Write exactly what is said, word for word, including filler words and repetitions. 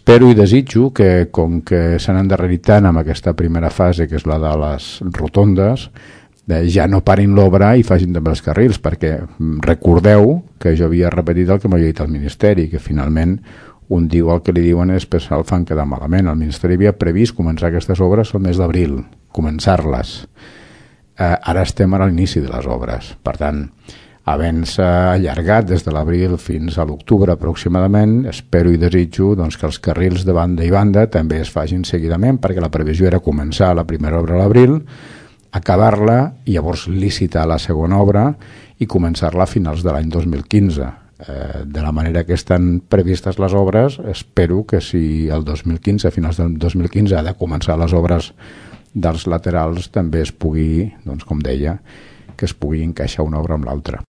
espero i desitjo que, com que s'han endarrerit tant amb aquesta primera fase, que és la de les rotondes, eh, ja no parin l'obra i facin també els carrils, perquè recordeu que jo havia repetit el que m'havia dit el Ministeri, que finalment un diu el que li diuen és que el fan quedar malament. El Ministeri havia previst començar aquestes obres el mes d'abril, començar-les. Eh, ara estem a l'inici de les obres, per tant, havent-se allargat des de l'abril fins a l'octubre aproximadament, espero i desitjo doncs, que els carrils de banda i banda també es facin seguidament, perquè la previsió era començar la primera obra a l'abril, acabar-la i llavors licitar la segona obra i començar-la a finals de l'any dos mil quinze. Eh, de la manera que estan previstes les obres, espero que si el dos mil quinze, a finals del dos mil quinze, ha de començar les obres dels laterals, també es pugui, doncs, com deia, que es pugui encaixar una obra amb l'altra.